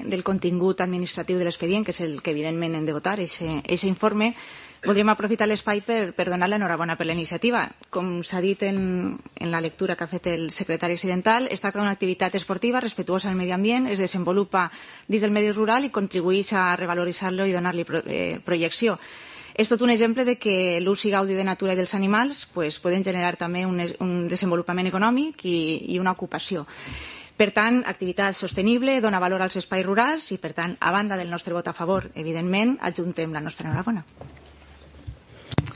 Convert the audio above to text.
del contingut administratiu de l'expedient, que és el que evidentment hem de votar, aquest informe, voldríem aprofitar l'espai per donar l'enhorabona per la iniciativa. Com s'ha dit en la lectura que ha fet el secretari accidental, es tracta d'una activitat esportiva respetuosa del medi ambient, es desenvolupa dins del medi rural i contribueix a revaloritzar-lo i donar-li projecció. És tot un exemple de que l'ús i gaudi de natura i dels animals poden generar també un desenvolupament econòmic i una ocupació. Per tant, activitat sostenible, dona valor als espais rurals i, per tant, a banda del nostre vot a favor, evidentment, adjuntem la nostra enhorabona.